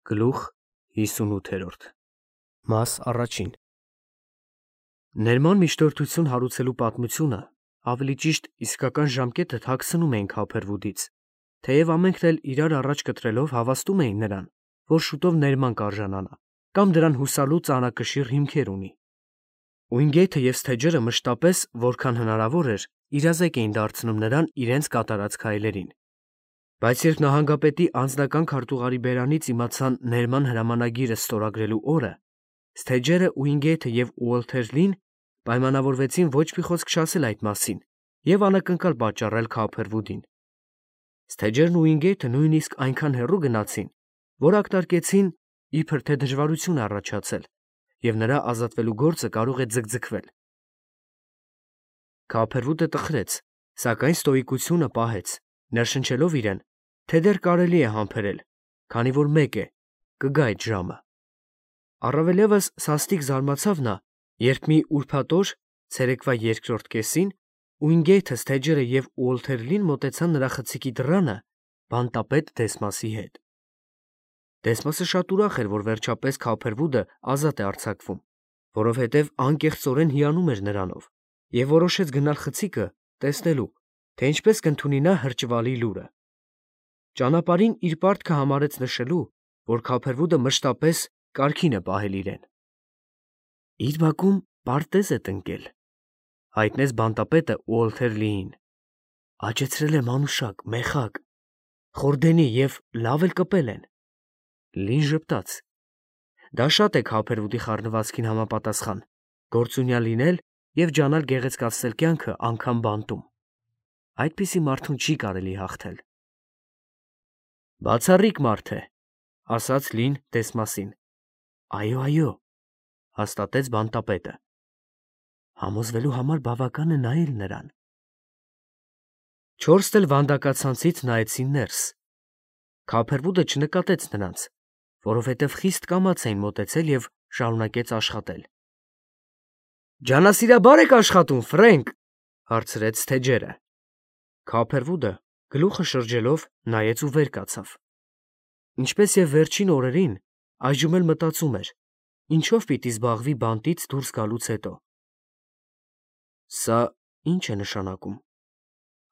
Գլուխ 58 Մաս առաջին Ներման միջնորդություն հարուցելու պատմությունը, ավելի ճիշտ իսկական ժամկետը թաքցնում էին Քափերվուդից, թեև ամենքն էլ իրար առաջ կտրելով հավաստում էին նրան, որ շուտով ներման կարժանանա, կամ դրան հուսալու ծանրակշիռ հիմքեր ունի։ Ուինգեյթը և Սթեջերը մշտապես, որքան հնարավոր էր, իրազեկ էին դարձնում նրան իրենց կատարած քայլերին։ Բայց երբ նահանգապետի անձնական քարտուղարի բերանից իմացան ներման հրամանագիրը ստորագրելու օրը, Սթեջերը, Ուինգեյթը և Ուոլթեր Լին պայմանավորվեցին ոչ մի խոսք չասել այդ մասին և անակնկալ պատճառել Քափերվուդին։ Սթեջերն ու Ուինգեյթը նույնիսկ այնքան հեռու գնացին, որ ակնարկեցին, իբր թե դժվարություն է առաջացել, և նրա ազատվելու գործը կարող է ձգձգվել։ Քափերվուդը տխրեց, սակայն ստոիկությունը պահեց, ներշնչելով իրեն, թե դեռ կարելի է համբերել, քանի որ մեկ է, կգա այդ ժամը։ Առավելևս սաստիկ զարմացավ նա, երբ մի ուրբաթ օր, ցերեկվա երկրորդ կեսին, Ուինգեյթը, Սթեջերը և Ուոլթեր Լին մոտեցան նրա խցիկի դռանը բանտապետ Դեսմասի հետ։ Դեսմասը շատ ուրախ էր, որ վերջապես Քափերվուդը ազատ է արձակվում, որովհետև անկեղծորեն հիանում էր նրանով, և որոշեց գնալ խցիկը տեսնելու, թե ինչպես կընդունի նա հրճվալի լուրը։ Ճանապարհին իր պարտքը համարեց նշելու, որ Քափերվուդը մշտապես կարգին է պահել իրեն։ Իր բակում պարտեզ է տնկել, հայտնեց բանտապետը Ուոլթեր Լիին։ Աճեցրել է մանուշակ, մեխակ, խորդենի և լավ էլ կպել են։ Լին ժպտաց։ Դա շատ է Քափերվուդի խառնվածքին համապատասխան, գործունյա լինել և ջանալ գեղեցկացնել կյանքը անգամ բանտում։ Այդպիսի մարդուն չի կարելի հաղթել։ Բացառիկ մարդ է, ասաց Լին Դեսմասին։ Այո, հաստատեց բանտապետը։ Համոզվելու համար բավական է նայել նրան։ Չորսն էլ վանդակացանցից նայեցին ներս։ Քափերվուդը չնկատեց նրանց, որովհետև խիստ կամաց էին մոտեցել և շարունակեց աշխատել։ Ջանասիրաբա՞ր եք աշխատում, Ֆրենկ, հարցրեց Սթեջերը։ Քափերվուդը, գլուխը շրջելով, նայեց ու վեր կացավ։ Ինչպես և վերջին օրերին, այժմ էլ մտածում էր, ինչով պիտի զբաղվի բանտից դուրս գալուց հետո։ Սա ի՞նչ է նշանակում,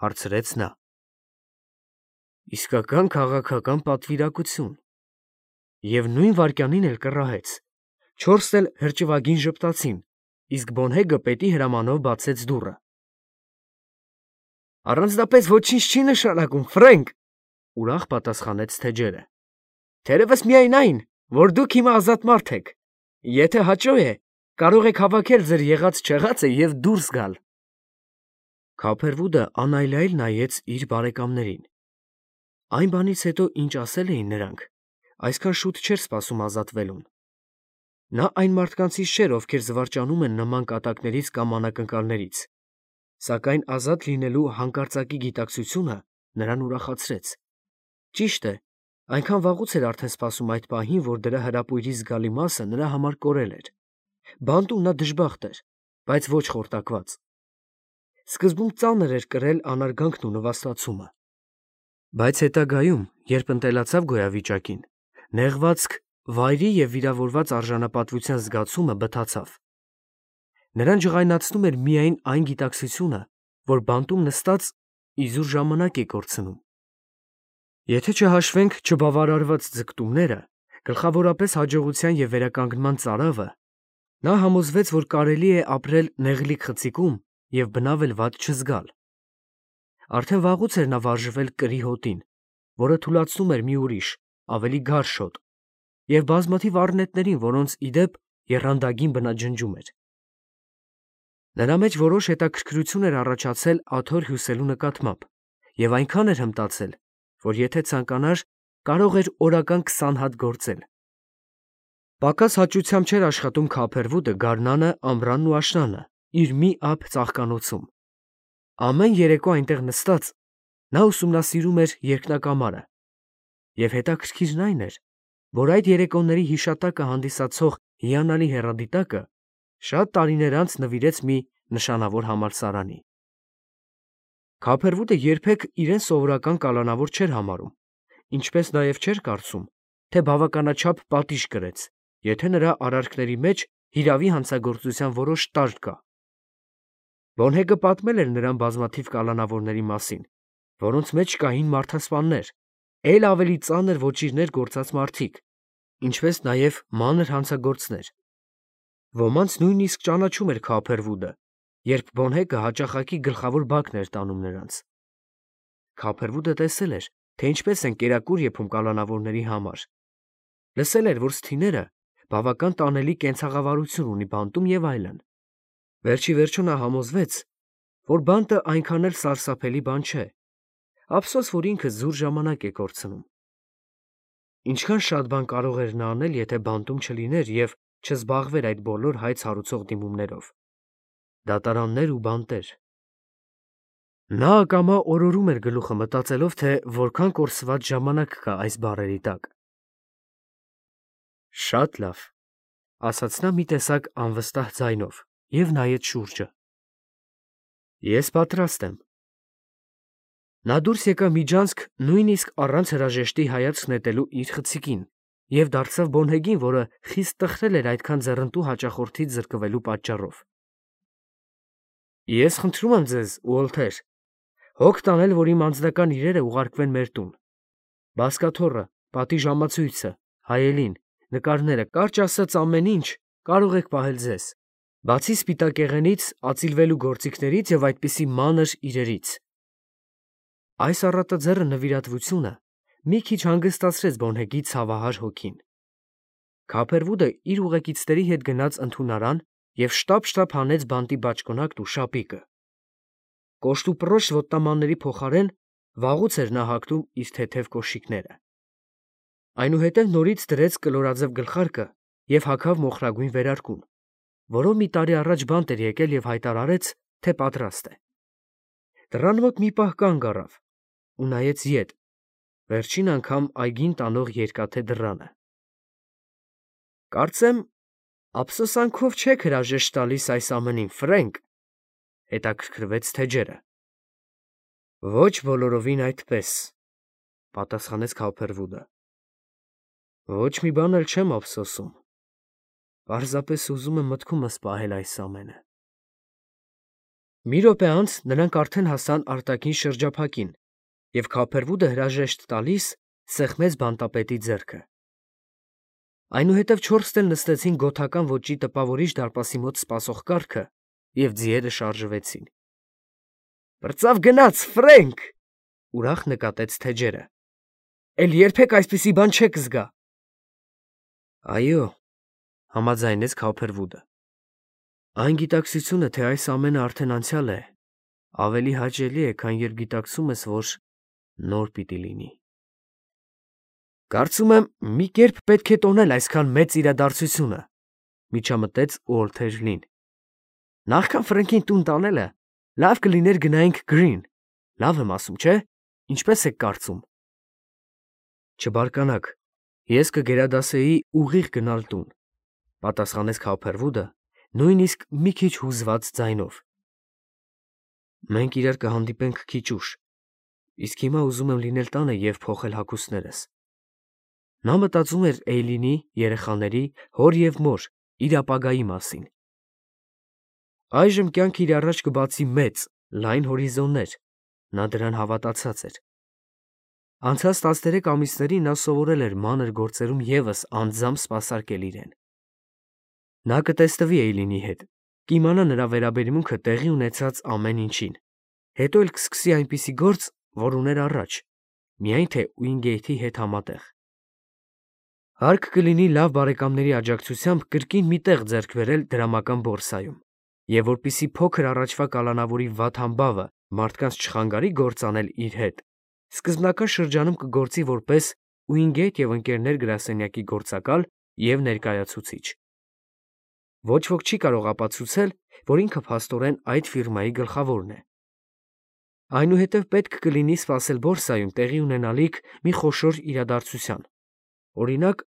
հարցրեց նա։ Իսկական քաղաքական պատվիրակություն։ Եվ նույն վայրկյանին էլ կռահեց։ Չորսն էլ հրճվագին ժպտացին, իսկ Բոնհեգը պետի հրամանով բացեց դուռը։ Առանձնապես ոչինչ չի նշանակում, Ֆրենկ, ուրախ պատասխանեց Սթեջերը։ Թերևս միայն այն, որ դուք հիմա ազատ մարդ եք։ Եթե հաճո է, կարող եք հավաքել ձեր եղած-չեղածը և դուրս գալ։ Քափերվուդը անայլայլ նայեց իր բարեկամներին։ Այն բանից հետո, ինչ ասել էին նրանք, այսքան շուտ չէր սպասում ազատվելուն։ Նա այն մարդկանցից չէր, ովքեր զվարճանում են նման կատակներից կամ անակնկալներից, սակայն ազատ լինելու հանկարծակի գիտակցությունը նրան ուրախացրեց։ Ճիշտ է, այնքան վաղուց էր արդեն սպասում այդ պահին, որ դրա հրապույրի զգալի մասը նրա համար կորել էր։ Բանտում նա դժբախտ էր, բայց ոչ խորտակված։ Սկզբում ծանր էր կրել անարգանքն ու նվաստացումը։ Բայց հետագայում, երբ ընտելացավ գոյավիճակին, նեղվածք, վայրի և վիրավորված արժանապատվության զգացումը բթացավ։ Նրան ջղայնացնում էր միայն այն գիտակցությունը, որ բանտում նստած իզուր ժամանակ է կորցնում։ Եթե չհաշվենք չբավարարված ձգտումները, գլխավորապես հաջողության և վերականգնման ծարավը, նա համոզվեց, որ կարելի է ապրել նեղլիկ խցիկում և բնավ էլ վատ չզգալ։ Արդեն վաղուց էր նա վարժվել կրի հոտին, որը թուլացնում էր մի ուրիշ, ավելի գարշ հոտ, և բազմաթիվ առնետներին, որոնց, ի դեպ, եռանդագին բնաջնջում էր։ Նրա մեջ որոշ հետաքրքրություն էր առաջացել աթոռ հյուսելու նկատմամբ, և այնքան էր հմտացել, որ եթե ցանկանար, կարող էր օրական 20 հատ գործել։ Պակաս հաճությամբ չէր աշխատում Քափերվուդը գարնանը, ամռանն ու աշնանը իր մի ափ ծաղկանոցում։ Ամեն երեկո այնտեղ նստած, նա ուսումնասիրում էր երկնակամարը, և հետաքրքիրն այն էր, որ այդ երեկոների հիշատակը հանդիսացող հիանալի հեռադիտակը շատ տարիներ անց նվիրեց մի նշանավոր համալսարանի։ Քափերվուդը երբեք իրեն սովորական կալանավոր չէր համարում, ինչպես նաև չէր կարծում, թե բավականաչափ պատիժ կրեց, եթե նրա արարքների մեջ հիրավի հանցագործության որոշ տարր կա։ Բոնհեգը պատմել էր նրան բազմաթիվ կալանավորների մասին, որոնց մեջ կային մարդասպաններ, էլ ավելի ծանր ոճիրներ գործած մարդիկ, ինչպես նաև մանր հանցագործներ։ Ոմանց նույնիսկ ճանաչում էր Քափերվուդը, երբ Բոնհեգը հաճախակի գլխավոր բակն էր տանում նրանց։ Քափերվուդը տեսել էր, թե ինչպես են կերակուր եփում կալանավորների համար։ Լսել էր, որ սթիները բավական տանելի կենցաղավարություն ունի բանտում եւ այլն։ Վերջի վերջո նա համոզվեց, որ բանտը այնքան էլ սարսափելի բան չէ։ Ափսոս, որ ինքը զուր ժամանակ է կորցնում։ Ինչքան շատ բան կարող էր նա անել, եթե բանտում չլիներ եւ չզբաղվեր այդ բոլոր հայց հարուցող դիմումներով։ Դատարաններ ու բանտեր։ Նա ակամա օրորում էր գլուխը մտածելով, թե որքան կորսված ժամանակ կա այս բառերի տակ։ Շատ լավ, ասաց նա մի տեսակ անվստահ ձայնով եւ նայեց շուրջը։ Ես պատրաստ եմ։ Նա դուրս եկավ միջանցք նույնիսկ առանց հրաժեշտի հայացք նետելու իր խցիկին եւ դարձավ Բոնհեգին, որը խիստ տխրել էր այդքան ձեռնտու հաճախորդից զրկվելու պատճառով։ Ես խնդրում եմ ձեզ, Ուոլթեր, հոգ տանել, որ իմ անձնական իրերը ուղարկվեն մեր տուն։ Բազկաթոռը, պատի ժամացույցը, հայելին, նկարները, կարճ ասած ամեն ինչ կարող եք պահել ձեզ, բացի սպիտակեղենից, ածիլվելու գործիքներից եւ այդպիսի մանր իրերից։ Այս առատաձեռը նվիրատվությունը մի քիչ հանգստացրեց Բոնհեգի ցավահար հոգին։ Քափերվուդը իր ուղեկիցների հետ գնաց ընդունարան եւ շտապ հանեց բանտի բաճկոնակն ու շապիկը։ Կոշտուպռոշ ոտնամանների փոխարեն վաղուց էր նա հագնում իր թեթև կոշիկները։ Այնուհետև նորից դրեց կլորաձև գլխարկը եւ հագավ մոխրագույն վերարկուն, որով մի տարի առաջ բանտ էր եկել եւ հայտարարեց, թե պատրաստ է։ Դռան մոտ մի պահ կանգ առավ ու նայեց ետ, վերջին անգամ այգին տանող երկաթե դռանը։ Կարծեմ, ափսոսանքով չեք հրաժեշտ տալիս այս ամենին, Ֆրենկ, հետաքրքրվեց Թեջերը։ Ոչ բոլորովին այդպես, պատասխանեց Քափերվուդը։ Ոչ մի բան էլ չեմ ափսոսում։ Պարզապես ուզում եմ մտքումս պահել այս ամենը։ Մի րոպե անց նրանք արդեն հասան արտաքին շրջափակին, եւ Քափերվուդը հրաժեշտ տալիս սեղմեց բանտապետի ձեռքը։ Այնուհետև չորսն էլ նստեցին գոթական ոճի տպավորիչ դարպասի մոտ սպասող կառքը եւ ձիերը շարժվեցին։ Բրծավ գնաց, Ֆրենկ, ուրախ նկատեց Թեջերը։ Էլ երբեք այսպիսի բան չեք զգա։ Այո, համաձայնեց Քափերվուդը։ Այն գիտակցությունը, թե այս ամենը արդեն անցյալ է, ավելի հաճելի է, քան երբ գիտակցում ես, որ նոր պիտի լինի։ Կարծում եմ, մի կերպ պետք է տոնել այսքան մեծ իրադարձությունը, միջամտեց Ուոլթեր Լին։ Նախքան Ֆրենկին տուն տանելը, լավ կլիներ գնայինք Գրին։ Լավ եմ ասում, չէ՞։ Ինչպես եք կարծում։ Չբարկանաք, ես կգերադասեի ուղիղ գնալ տուն, պատասխանեց Քափերվուդը, նույնիսկ մի քիչ հուզված ձայնով։ Մենք իրար կհանդիպենք քիչ ուշ, իսկ հիմա ուզում եմ լինել տանը եւ փոխել հագուստներս։ Նա մտածում էր Էյլինի, երեխաների, հոր եւ մոր, իր ապագայի մասին։ Այժմ կյանքը իր առաջ կբացի մեծ, լայն հորիզոններ, նա դրան հավատացած էր։ Անցած 13 ամիսներին նա սովորել էր մանր գործերում եւս անձամբ սպասարկել իրեն։ Նա կտեսնվի Էյլինի հետ, կիմանա նրա վերաբերմունքը տեղի ունեցած ամեն ինչին, հետո էլ կսկսի այնպիսի գործ, որ ուներ առաջ, միայն թե Ուինգեյթի հետ համատեղ։ Հարկ կլինի լավ բարեկամների աջակցությամբ կրկին մի տեղ ձեռք բերել դրամական բորսայում, եւ որպիսի փոքր առաջվա կալանավորի վատ համբավը մարդկանց չխանգարի գործ անել իր հետ, սկզբնական շրջանում կգործի որպես Ուինգեյթ եւ ընկերներ գրասենյակի գործակալ եւ ներկայացուցիչ։ Ոչ ոք չի կարող ապացուցել, որ ինքը փաստորեն այդ ֆիրմայի գլխավորն է։ Այնուհետև պետք կլինի սպասել բորսայում տեղի ունենալիք մի խոշոր իրադարձության, օրինակ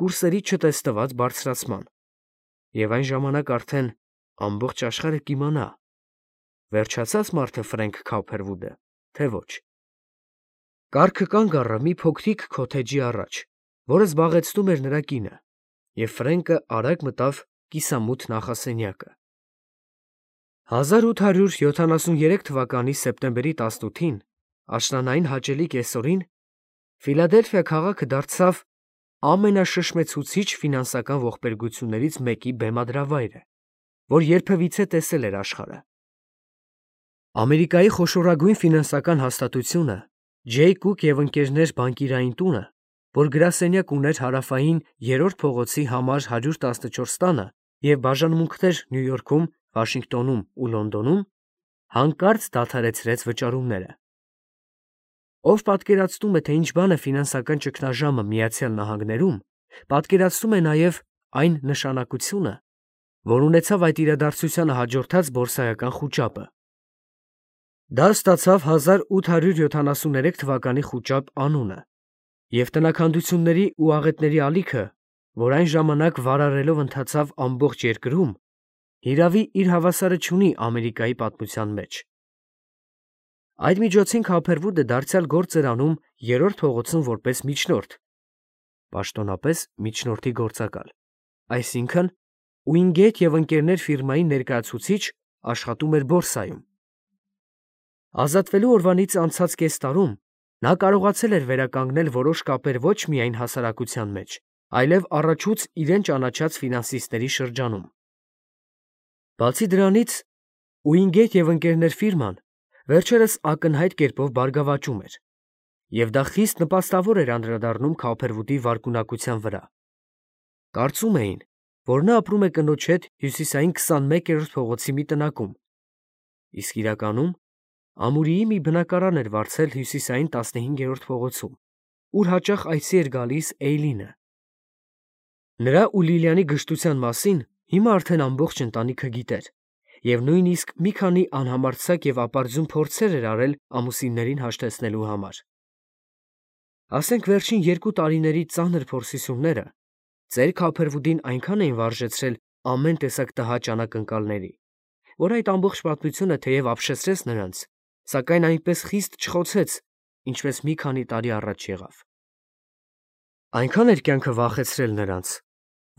կուրսերի չտեսնված բարձրացման, եւ այն ժամանակ արդեն ամբողջ աշխարհը կիմանա, վերջացած մարդը Ֆրենկ Քափերվուդը, թե ոչ։ Կառքը կանգ առավ մի փոքրիկ քոթեջի առաջ, որը զբաղեցնում էր նրա կինը, և Ֆրենկը արագ մտավ կիսամութ նախասենյակը։ 1873 թվականի սեպտեմբերի 18-ին, աշնանային հաճելի կեսօրին, Ֆիլադելֆիա քաղաքը դարձավ ամենաշշմեցուցիչ ֆինանսական ողբերգություններից մեկի բեմադրավայրը, որ երբևիցե տեսել էր աշխարհը։ Ամերիկայի խոշորագույն ֆինանսական հաստատությունը Ջեյ Կուք և ընկերներ բանկիրային տունը, որ գրասենյակ ուներ Հարավային 3-րդ փողոցի համար 114 տանը և բաժանմունքներ Նյու Յորքում, Վաշինգտոնում ու Լոնդոնում, հանկարծ դադարեցրեց վճարումները։ Ով պատկերացնում է, թե ինչ բան է ֆինանսական ճգնաժամը Միացյալ Նահանգներում, պատկերացնում է նաև այն նշանակությունը, որ ունեցավ այդ իրադարձությանը հաջորդած բորսայական խուճապը։ Դա ստացավ 1873 թվականի խուճապ անունը, և տնաքանդությունների ու աղետների ալիքը, որ այն ժամանակ վարարելով ընթացավ ամբողջ երկրում, հիրավի իր հավասարը չունի Ամերիկայի պատմության մեջ։ Այդ միջոցին Քոփերվուդը դարձյալ գործ էր անում 3-րդ փողոցում որպես միջնորդ, պաշտոնապես միջնորդի գործակալ, այսինքն Ուինգեթ և ընկերներ ֆիրմայի ներկայացուցիչ աշխատում էր բորսայում։ Ազատվելու օրվանից անցած կես տարում նա կարողացել էր վերականգնել որոշ կապեր ոչ միայն հասարակության մեջ, այլև առաջուց իրեն ճանաչած ֆինանսիստների շրջանում։ Բացի դրանից, Ուինգեթ և ընկերներ ֆիրման վերջերս ակնհայտ կերպով բարգավաճում էր, և դա խիստ նպաստավոր էր անդրադառնում Քոփերվուդի վարկունակության վրա։ Կարծում էին, որ նա ապրում է կնոջ հետ հյուսիսային 21-րդ փողոցի մի տնակում, իսկ իրականում ամուրիի մի բնակարան էր վարձել հյուսիսային 15-րդ փողոցում, ուր հաճախ այցի էր գալիս Էյլինը։ Նրա ու Լիլիանի գժտության մասին հիմա արդեն ամբողջ ընտանիքը գիտեր, և նույնիսկ մի քանի անհամարձակ և ապարդյուն փորձեր էր արել ամուսիններին հաշտեցնելու համար։ Ասենք վերջին 2 տարիների ծանր փորձությունները ծեր Քոփերվուդին այնքան էին վարժեցրել ամեն տեսակ տհաճ անակնկալների, որ այդ ամբողջ պատմությունը թեև ապշեցրեց նրանց, սակայն այնպես խիստ չխոցեց, ինչպես մի քանի տարի առաջ եղավ։ Այնքան էր կյանքը վախեցրել նրանց,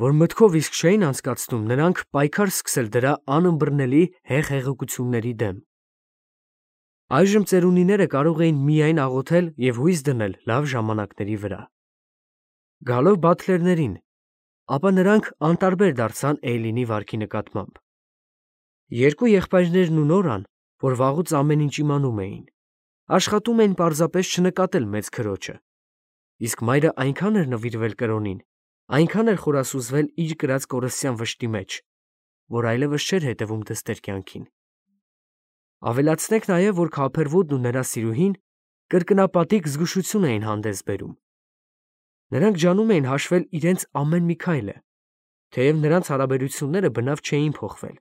որ մտքով իսկ չէին անցկացնում նրանք պայքար սկսել դրա անըմբռնելի հեղեղությունների դեմ։ Այժմ ծերունիները կարող էին միայն աղոթել և հույս դնել լավ ժամանակների վրա։ Գալով Բաթլերներին, ապա նրանք անտարբեր դարձան Էյլինի վարքի նկատմամբ։ Երկու եղբայրներն ու Նորան, որ վաղուց ամեն ինչ իմանում էին, աշխատում էին պարզապես չնկատել մեծ քրոջը, իսկ մայրը այնքան էր նվիրվել կրոնին, այնքան էր խորասուզվել իր կրած կորստյան վշտի մեջ, որ այլևս չէր հետևում դստեր կյանքին։ Ավելացնենք նաև, որ Քոփերվուդն ու նրա սիրուհին կրկնապատիկ զգուշություն էին հանդես բերում։ Նրանք ջանում էին հաշվել իրենց ամեն մի քայլը, թեև նրանց հարաբերությունները բնավ չէին փոխվել։